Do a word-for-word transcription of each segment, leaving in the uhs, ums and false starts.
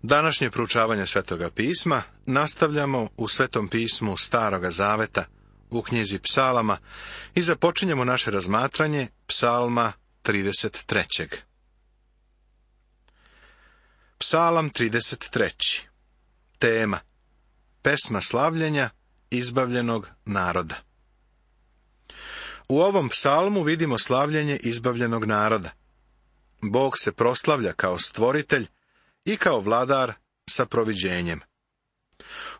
Današnje proučavanje Svetoga pisma nastavljamo u Svetom pismu Staroga zaveta, u knjizi Psalama, i započinjemo naše razmatranje Psalma trideset trećeg. Psalam trideset treći. Tema: pesma slavljenja izbavljenog naroda. U ovom psalmu vidimo slavljenje izbavljenog naroda. Bog se proslavlja kao stvoritelj i kao vladar sa proviđenjem.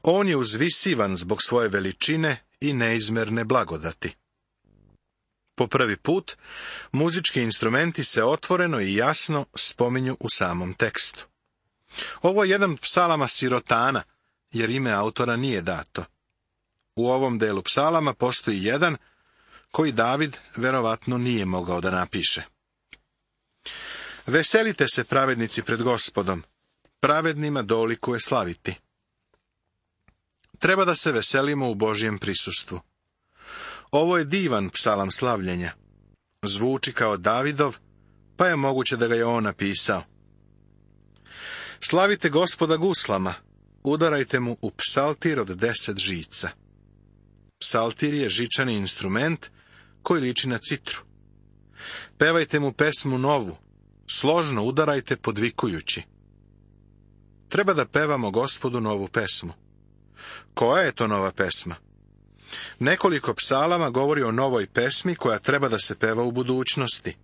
On je uzvisivan zbog svoje veličine i neizmjerne blagodati. Po prvi put, muzički instrumenti se otvoreno i jasno spominju u samom tekstu. Ovo je jedan psalama sirotana, jer ime autora nije dato. U ovom delu psalama postoji jedan koji David verovatno nije mogao da napiše. Veselite se, pravednici, pred Gospodom, pravednima dolikuje slaviti. Treba da se veselimo u Božjem prisustvu. Ovo je divan psalam slavljenja. Zvuči kao Davidov, pa je moguće da ga je on napisao. Slavite Gospoda guslama, udarajte mu u psaltir od deset žica. Psaltir je žičani instrument koji liči na citru. Pevajte mu pesmu novu, složno udarajte podvikujući. Treba da pevamo Gospodu novu pesmu. Koja je to nova pesma? Nekoliko psalama govori o novoj pesmi koja treba da se peva u budućnosti.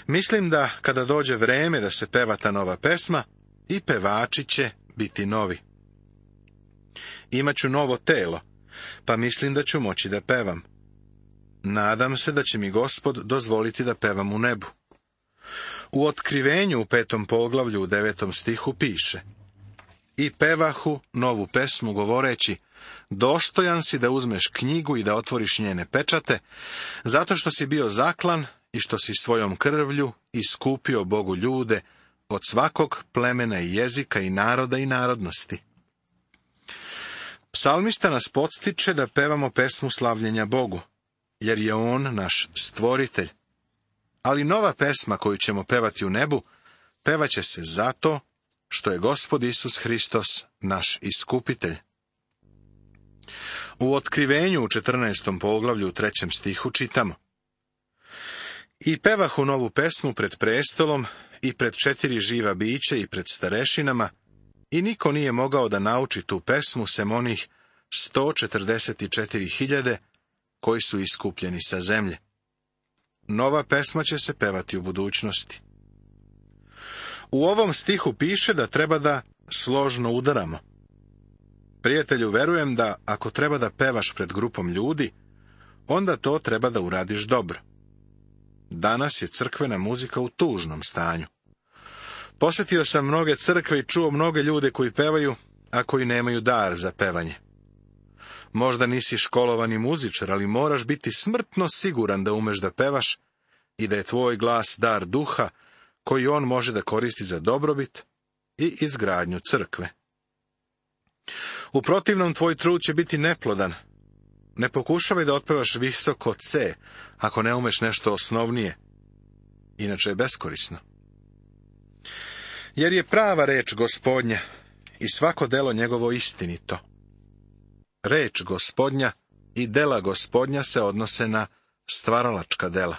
Mislim da kada dođe vreme da se peva ta nova pesma, i pevači će biti novi. Imaću novo telo, pa mislim da ću moći da pevam. Nadam se da će mi Gospod dozvoliti da pevam u nebu. U Otkrivenju u petom poglavlju u devetom stihu piše: i pevahu novu pesmu govoreći, dostojan si da uzmeš knjigu i da otvoriš njene pečate, zato što si bio zaklan i što si svojom krvlju iskupio Bogu ljude od svakog plemena i jezika i naroda i narodnosti. Psalmista nas podstiče da pevamo pesmu slavljenja Bogu, jer je on naš stvoritelj. Ali nova pesma koju ćemo pevati u nebu, pevaće se zato što je Gospod Isus Hristos naš iskupitelj. U Otkrivenju u četrnaestom poglavlju u trećem stihu čitamo: i pevahu novu pesmu pred prestolom i pred četiri živa bića i pred starešinama, i niko nije mogao da nauči tu pesmu sem onih sto četrdeset četiri hiljade koji su iskupljeni sa zemlje. Nova pesma će se pevati u budućnosti. U ovom stihu piše da treba da složno udaramo. Prijatelju, verujem da ako treba da pevaš pred grupom ljudi, onda to treba da uradiš dobro. Danas je crkvena muzika u tužnom stanju. Posjetio sam mnoge crkve i čuo mnoge ljude koji pevaju, a koji nemaju dar za pevanje. Možda nisi školovani muzičar, ali moraš biti smrtno siguran da umeš da pevaš i da je tvoj glas dar duha koji on može da koristi za dobrobit i izgradnju crkve. U protivnom tvoj trud će biti neplodan. Ne pokušavaj da otpevaš visoko C, ako ne umeš nešto osnovnije. Inače je beskorisno. Jer je prava reč Gospodnja i svako delo njegovo istinito. Reč Gospodnja i dela Gospodnja se odnose na stvaralačka dela.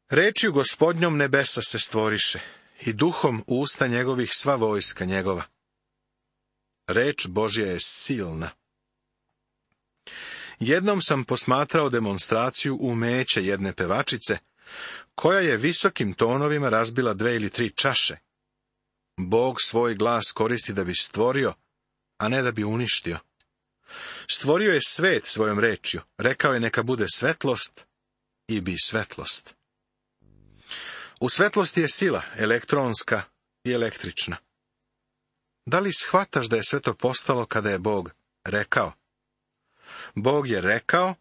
Rečju Gospodnjom nebesa se stvoriše i duhom usta njegovih sva vojska njegova. Reč Božja je silna. Jednom sam posmatrao demonstraciju umeća jedne pevačice, koja je visokim tonovima razbila dve ili tri čaše. Bog svoj glas koristi da bi stvorio, a ne da bi uništio. Stvorio je svet svojom rečju, rekao je neka bude svetlost i bi svetlost. U svetlosti je sila, elektronska i električna. Da li shvataš da je sve to postalo kada je Bog rekao? Bog je rekao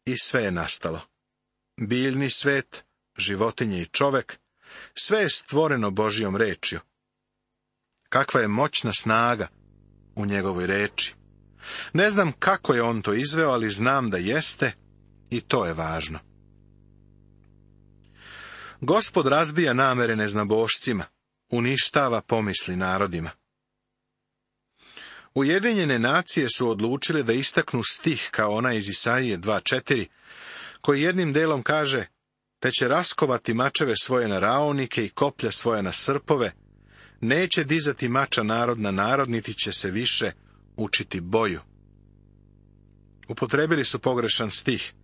i sve je nastalo. Biljni svet, životinje i čovek, sve je stvoreno Božjom rečju. Kakva je moćna snaga u njegovoj reči. Ne znam kako je on to izveo, ali znam da jeste i to je važno. Gospod razbija namere neznabošcima, uništava pomisli narodima. Ujedinjene nacije su odlučile da istaknu stih kao onaj iz Isaije dva četiri, koji jednim delom kaže: te će raskovati mačeve svoje na raonike i koplja svoje na srpove, neće dizati mača narod na narod, niti će se više učiti boju. Upotrebili su pogrešan stih,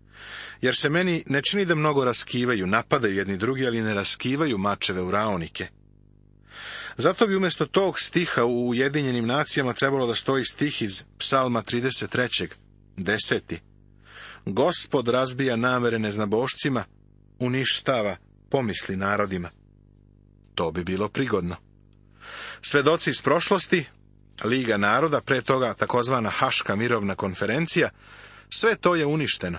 jer se meni ne čini da mnogo raskivaju, napadaju jedni drugi, ali ne raskivaju mačeve u raonike. Zato bi umjesto tog stiha u Ujedinjenim nacijama trebalo da stoji stih iz Psalma trideset tri, deseti. Gospod razbija namere neznabošcima, uništava pomisli narodima. To bi bilo prigodno. Svedoci iz prošlosti, Liga naroda, pre toga takozvana Haška mirovna konferencija, sve to je uništeno.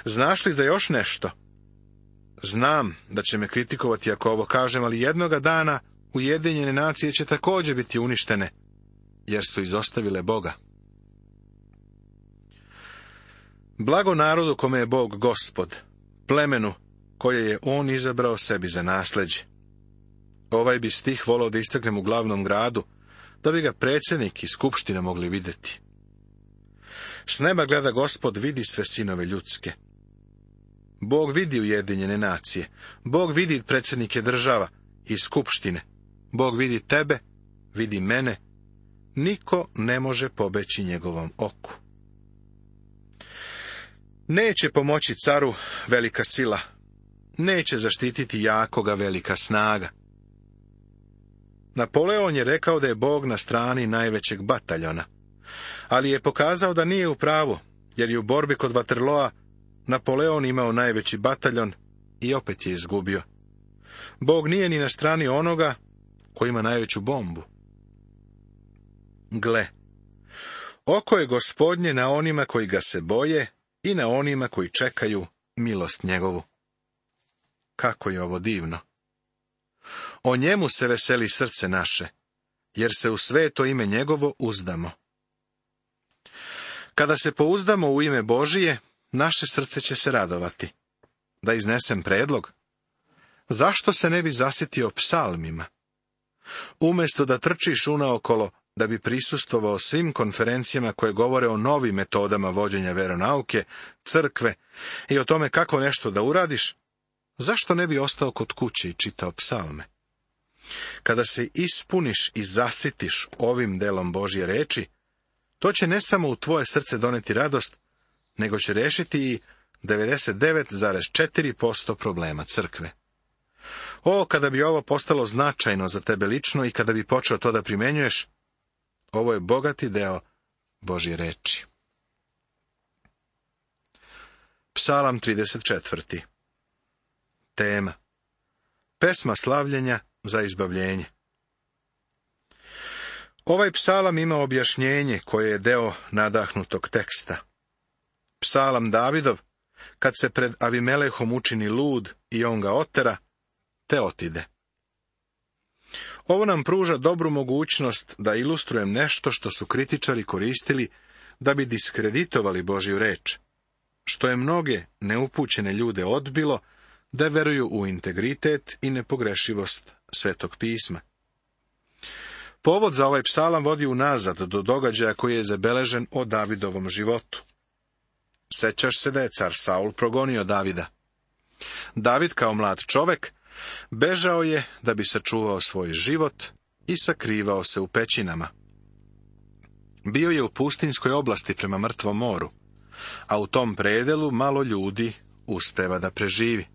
Znaš li za još nešto? Znam da će me kritikovati ako ovo kažem, ali jednoga dana Ujedinjene nacije će također biti uništene, jer su izostavile Boga. Blago narodu kome je Bog Gospod, plemenu koje je on izabrao sebi za nasleđe. Ovaj bi stih volao da istaknem u glavnom gradu, da bi ga predsjednik i skupština mogli vidjeti. S neba gleda Gospod, vidi sve sinove ljudske. Bog vidi Ujedinjene nacije, Bog vidi predsjednike država i skupštine, Bog vidi tebe, vidi mene, niko ne može pobeći njegovom oku. Neće pomoći caru velika sila, neće zaštititi jakoga velika snaga. Napoleon je rekao da je Bog na strani najvećeg bataljona, ali je pokazao da nije u pravu, jer je u borbi kod Waterloa Napoleon imao najveći bataljon i opet je izgubio. Bog nije ni na strani onoga koji ima najveću bombu. Gle, oko je Gospodnje na onima koji ga se boje i na onima koji čekaju milost njegovu. Kako je ovo divno! O njemu se veseli srce naše, jer se u sveto ime njegovo uzdamo. Kada se pouzdamo u ime Božije, naše srce će se radovati. Da iznesem predlog? Zašto se ne bi zasjetio psalmima? Umjesto da trčiš unaokolo da bi prisustvovao svim konferencijama koje govore o novim metodama vođenja veronauke, crkve i o tome kako nešto da uradiš, zašto ne bi ostao kod kuće i čitao psalme? Kada se ispuniš i zasitiš ovim delom Božje reči, to će ne samo u tvoje srce doneti radost, nego će rešiti i devedeset devet zarez četiri posto problema crkve. O, kada bi ovo postalo značajno za tebe lično i kada bi počeo to da primenjuješ, ovo je bogati deo Božje reči. Psalam trideset četvrti. Tema: pesma slavljenja za izbavljenje. Ovaj psalam ima objašnjenje koje je deo nadahnutog teksta. Psalam Davidov, kad se pred Avimelehom učini lud i on ga otera, te otide. Ovo nam pruža dobru mogućnost da ilustrujem nešto što su kritičari koristili da bi diskreditovali Božju reč, što je mnoge neupućene ljude odbilo da veruju u integritet i nepogrešivost Svetog pisma. Povod za ovaj psalam vodi unazad do događaja koji je zabeležen o Davidovom životu. Sećaš se da je car Saul progonio Davida. David kao mlad čovek bežao je da bi sačuvao svoj život i sakrivao se u pećinama. Bio je u pustinjskoj oblasti prema Mrtvom moru, a u tom predelu malo ljudi uspeva da preživi.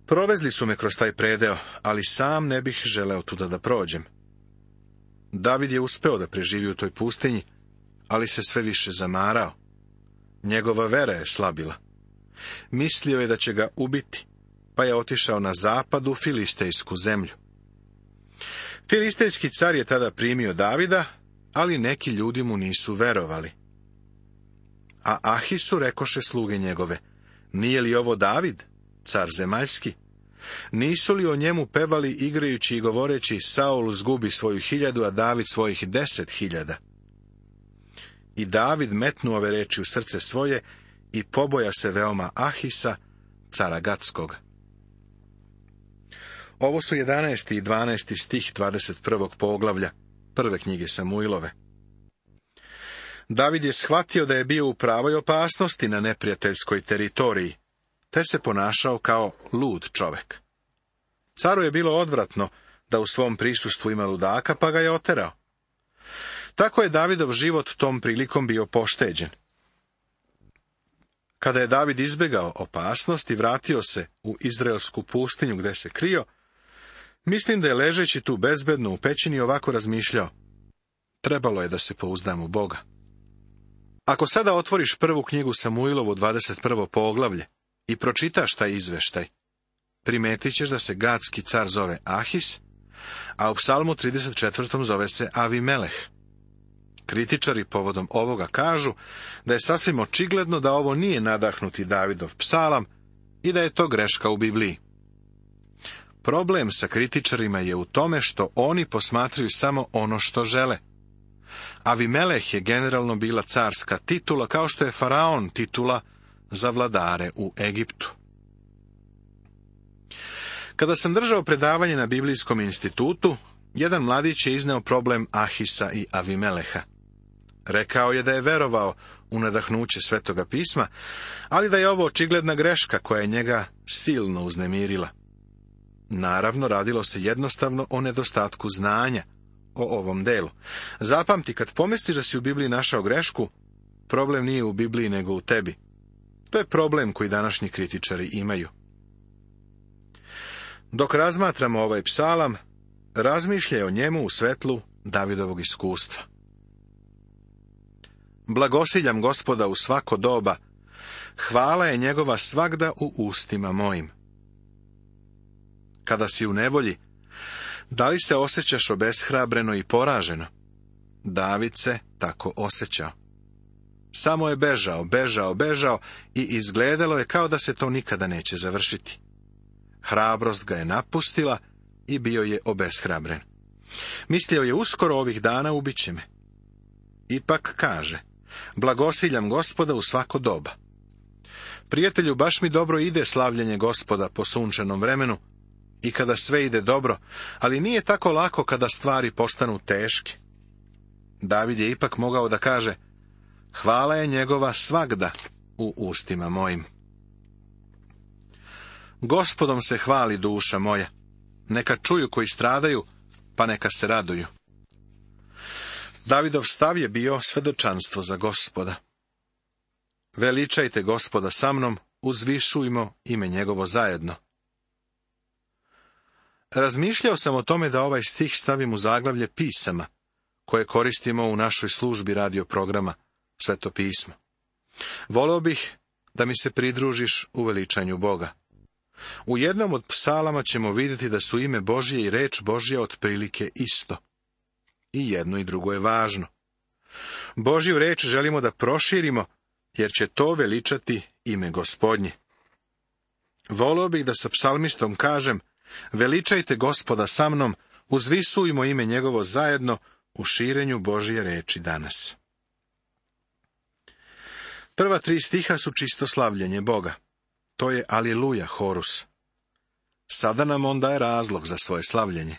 Provezli su me kroz taj predeo, ali sam ne bih želeo tuda da prođem. David je uspeo da preživi u toj pustinji, ali se sve više zamarao. Njegova vera je slabila. Mislio je da će ga ubiti, pa je otišao na zapad u filistejsku zemlju. Filistejski car je tada primio Davida, ali neki ljudi mu nisu verovali. A Ahisu rekoše sluge njegove: nije li ovo David, car zemaljski? Nisu li o njemu pevali igrajući i govoreći: Saul zgubi svoju hiljadu, a David svojih deset hiljada? I David metnuo ove reči u srce svoje i poboja se veoma Ahisa, cara Gatskoga. Ovo su jedanaesti i dvanaesti stih dvadeset prvog poglavlja prve knjige Samuilove. David je shvatio da je bio u pravoj opasnosti na neprijateljskoj teritoriji, te se ponašao kao lud čovek. Caru je bilo odvratno da u svom prisustvu ima ludaka, pa ga je oterao. Tako je Davidov život tom prilikom bio pošteđen. Kada je David izbjegao opasnost i vratio se u izraelsku pustinju gde se krio, mislim da je ležeći tu bezbedno u pećini ovako razmišljao: trebalo je da se pouzdam u Boga. Ako sada otvoriš prvu knjigu Samuilovu, dvadeset prvo poglavlje, i pročitaš taj izveštaj, primetit ćeš da se Gadski car zove Ahis, a u psalmu trideset četvrtom zove se Avimeleh. Kritičari povodom ovoga kažu da je sasvim očigledno da ovo nije nadahnuti Davidov psalam i da je to greška u Bibliji. Problem sa kritičarima je u tome što oni posmatraju samo ono što žele. Avimeleh je generalno bila carska titula, kao što je faraon titula za vladare u Egiptu. Kada sam držao predavanje na Biblijskom institutu, jedan mladić je izneo problem Ahisa i Avimeleha. Rekao je da je verovao u nadahnuće Svetoga pisma, ali da je ovo očigledna greška koja je njega silno uznemirila. Naravno, radilo se jednostavno o nedostatku znanja o ovom delu. Zapamti, kad pomisliš da si u Bibliji našao grešku, problem nije u Bibliji nego u tebi. To je problem koji današnji kritičari imaju. Dok razmatramo ovaj psalam, razmišljaj o njemu u svetlu Davidovog iskustva. Blagosiljam Gospoda u svako doba, hvala je njegova svagda u ustima mojim. Kada si u nevolji, da li se osjećaš obeshrabreno i poraženo? David se tako osjećao. Samo je bežao, bežao, bežao i izgledalo je kao da se to nikada neće završiti. Hrabrost ga je napustila i bio je obeshrabren. Mislio je, uskoro ovih dana ubiće me. Ipak kaže, blagosiljam Gospoda u svako doba. Prijatelju, baš mi dobro ide slavljenje Gospoda po sunčanom vremenu i kada sve ide dobro, ali nije tako lako kada stvari postanu teške. David je ipak mogao da kaže, hvala je njegova svagda u ustima mojim. Gospodom se hvali duša moja, neka čuju koji stradaju, pa neka se raduju. Davidov stav je bio svedočanstvo za Gospoda. Veličajte Gospoda sa mnom, uzvišujmo ime njegovo zajedno. Razmišljao sam o tome da ovaj stih stavim u zaglavlje pisama, koje koristimo u našoj službi radio programa Sveto pismo. Voleo bih da mi se pridružiš u veličanju Boga. U jednom od psalama ćemo vidjeti da su ime Božje i reč Božja otprilike isto. I jedno i drugo je važno. Božju reč želimo da proširimo, jer će to veličati ime Gospodnje. Voleo bih da sa psalmistom kažem, veličajte Gospoda sa mnom, uzvisujmo ime njegovo zajedno u širenju Božje reči danas. Prva tri stiha su čisto slavljenje Boga. To je Aliluja horus. Sada nam on daje razlog za svoje slavljenje.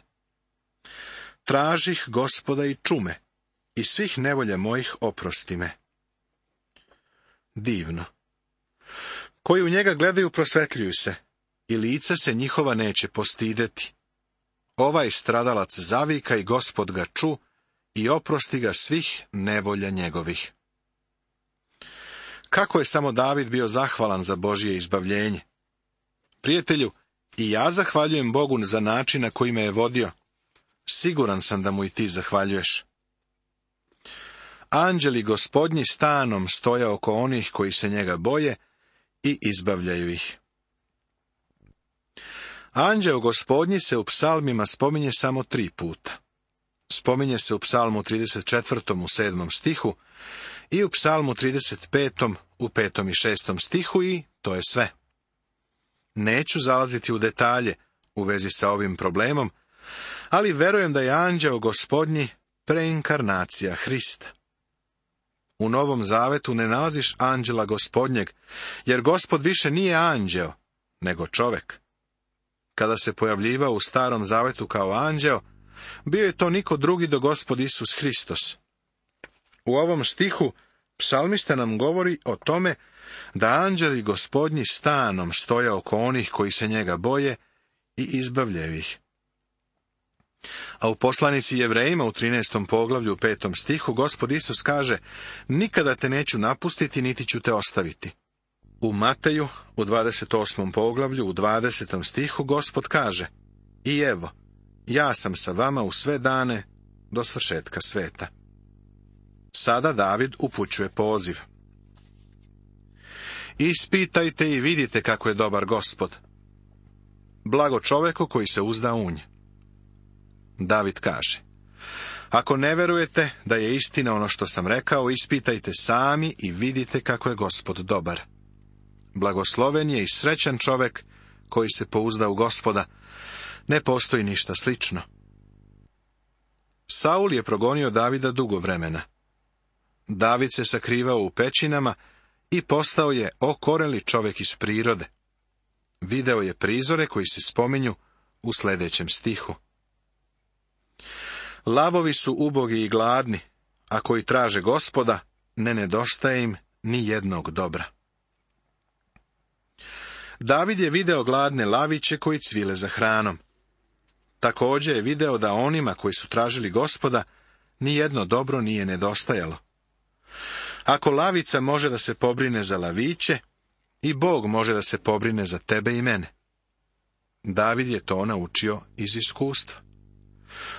Tražih Gospoda i čume, i svih nevolja mojih oprosti me. Divno. Koji u njega gledaju prosvetljuju se, i lica se njihova neće postideti. Ovaj stradalac zavika i Gospod ga ču, i oprosti ga svih nevolja njegovih. Kako je samo David bio zahvalan za Božje izbavljenje. Prijatelju, i ja zahvaljujem Bogu za način na koji me je vodio. Siguran sam da mu i ti zahvaljuješ. Anđeli Gospodnji stanom stoja oko onih koji se njega boje i izbavljaju ih. Anđeo Gospodnji se u psalmima spominje samo tri puta. Spominje se u psalmu trideset četvrtom u sedmom stihu i u psalmu trideset petom u petom i šestom stihu i to je sve. Neću zalaziti u detalje u vezi sa ovim problemom, ali verujem da je anđeo Gospodnji preinkarnacija Hrista. U Novom Zavetu ne nalaziš anđela Gospodnjeg, jer Gospod više nije anđeo, nego čovek. kada se pojavljivao u Starom zavetu kao anđeo, bio je to niko drugi do Gospod Isus Hristos. U ovom stihu psalmista nam govori o tome da anđeli Gospodnji stanom stoje oko onih koji se njega boje i izbavljaju ih. A u poslanici Jevrejima u trinaestom poglavlju u petom stihu Gospod Isus kaže: nikada te neću napustiti, niti ću te ostaviti. U Mateju u dvadeset osmom poglavlju u dvadesetom stihu Gospod kaže: i evo, ja sam sa vama u sve dane do svršetka sveta. Sada David upućuje poziv. Ispitajte i vidite kako je dobar Gospod. Blago čoveku koji se uzda u nj. David kaže: ako ne verujete da je istina ono što sam rekao, ispitajte sami i vidite kako je Gospod dobar. Blagosloven je i srećan čovek koji se pouzda u Gospoda. Ne postoji ništa slično. Saul je progonio Davida dugo vremena. David se sakrivao u pećinama i postao je okoreli čovek iz prirode. Video je prizore koji se spominju u sljedećem stihu. Lavovi su ubogi i gladni, a koji traže Gospoda, ne nedostaje im ni jednog dobra. David je video gladne laviće koji cvile za hranom. Također je video da onima koji su tražili Gospoda, ni jedno dobro nije nedostajalo. Ako lavica može da se pobrine za laviće, i Bog može da se pobrine za tebe i mene. David je to naučio iz iskustva.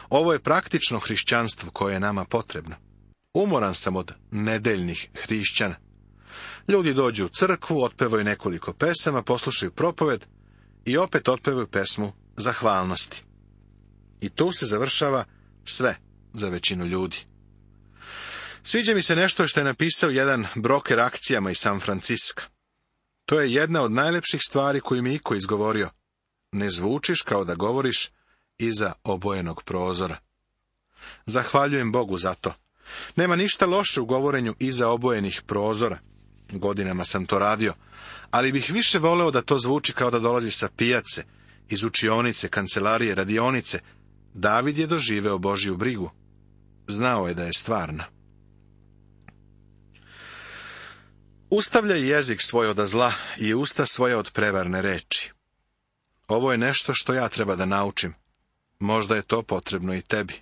Ovo je praktično hrišćanstvo koje je nama potrebno. Umoran sam od nedeljnih hrišćana. Ljudi dođu u crkvu, otpevaju nekoliko pesama, poslušaju propoved i opet otpevaju pesmu zahvalnosti. I tu se završava sve za većinu ljudi. Sviđa mi se nešto što je napisao jedan broker akcijama iz San Franciska. To je jedna od najlepših stvari koju mi iko izgovorio. Ne zvučiš kao da govoriš iza obojenog prozora. Zahvaljujem Bogu za to. Nema ništa loše u govorenju iza obojenih prozora. Godinama sam to radio, ali bih više voleo da to zvuči kao da dolazi sa pijace, iz učionice, kancelarije, radionice. David je doživeo Božju brigu. Znao je da je stvarna. Ustavljaj jezik svoj od zla i usta svoje od prevarne reči. Ovo je nešto što ja treba da naučim. Možda je to potrebno i tebi.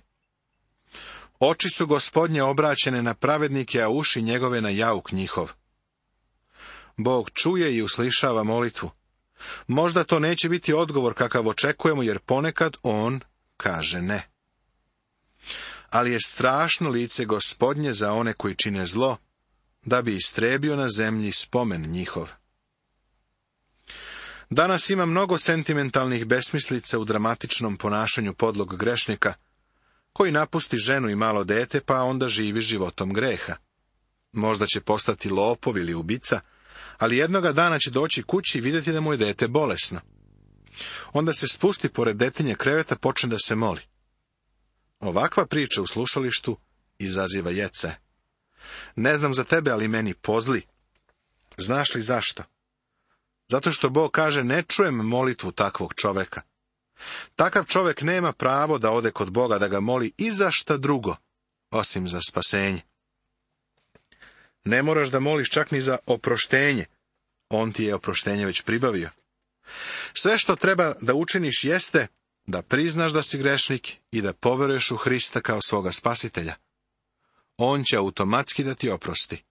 Oči su Gospodnje obraćene na pravednike, a uši njegove na jauk njihov. Bog čuje i uslišava molitvu. Možda to neće biti odgovor kakav očekujemo, jer ponekad on kaže ne. Ali je strašno lice Gospodnje za one koji čine zlo, da bi istrebio na zemlji spomen njihov. Danas ima mnogo sentimentalnih besmislica u dramatičnom ponašanju podlog grešnika, koji napusti ženu i malo dete, pa onda živi životom greha. Možda će postati lopov ili ubica, ali jednoga dana će doći kući i vidjeti da mu je dete bolesno. Onda se spusti pored detinje kreveta, počne da se moli. Ovakva priča u slušalištu izaziva jece. Ne znam za tebe, ali meni pozli. Znaš li zašto? Zato što Bog kaže, ne čujem molitvu takvog čoveka. Takav čovek nema pravo da ode kod Boga da ga moli i za šta drugo, osim za spasenje. Ne moraš da moliš čak ni za oproštenje. On ti je oproštenje već pribavio. Sve što treba da učiniš jeste da priznaš da si grešnik i da poveruješ u Hrista kao svoga spasitelja. On će automatski da ti oprosti.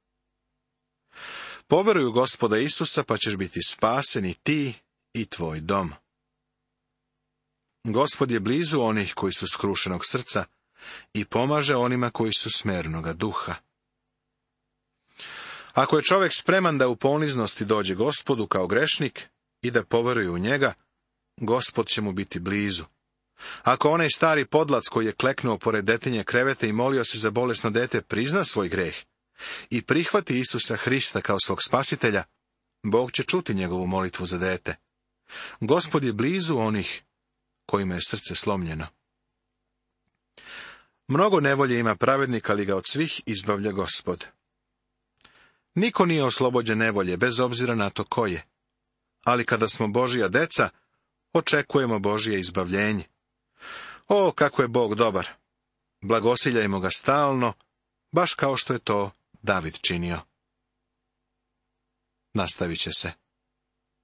Poveruj u Gospoda Isusa, pa ćeš biti spasen i ti i tvoj dom. Gospod je blizu onih koji su skrušenog srca i pomaže onima koji su smernoga duha. Ako je čovjek spreman da u poniznosti dođe Gospodu kao grešnik i da poveruje u njega, Gospod će mu biti blizu. Ako onaj stari podlac koji je kleknuo pored detinje kreveta i molio se za bolesno dete prizna svoj greh i prihvati Isusa Hrista kao svog spasitelja, Bog će čuti njegovu molitvu za dete. Gospod je blizu onih kojima je srce slomljeno. Mnogo nevolje ima pravednik, ali ga od svih izbavlja Gospod. Niko nije oslobođen nevolje, bez obzira na to ko je. Ali kada smo Božja deca, očekujemo Božje izbavljenje. O, kako je Bog dobar! Blagosiljajmo ga stalno, baš kao što je to David činio. Nastavit će se.